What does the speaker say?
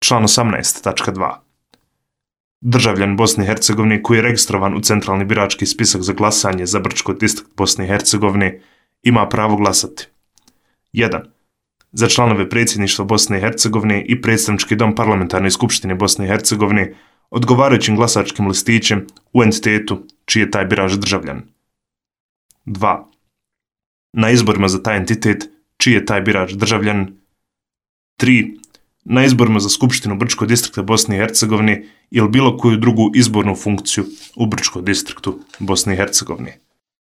Član 18.2. Državljan Bosne i Hercegovine koji je registrovan u centralni birački spisak za glasanje za Brčko distrikt Bosne i Hercegovine ima pravo glasati. 1. Za članove predsjedništva Bosne i Hercegovine i predstavnički dom parlamentarne skupštine Bosne i Hercegovine odgovarajućim glasačkim listićem u entitetu čiji je taj birač državljan. 2. Na izborima za taj entitet čiji je taj birač državljan. 3. Na izborima za Skupštinu Brčkog distrikta Bosne i Hercegovine ili bilo koju drugu izbornu funkciju u Brčkom distriktu Bosne i Hercegovine.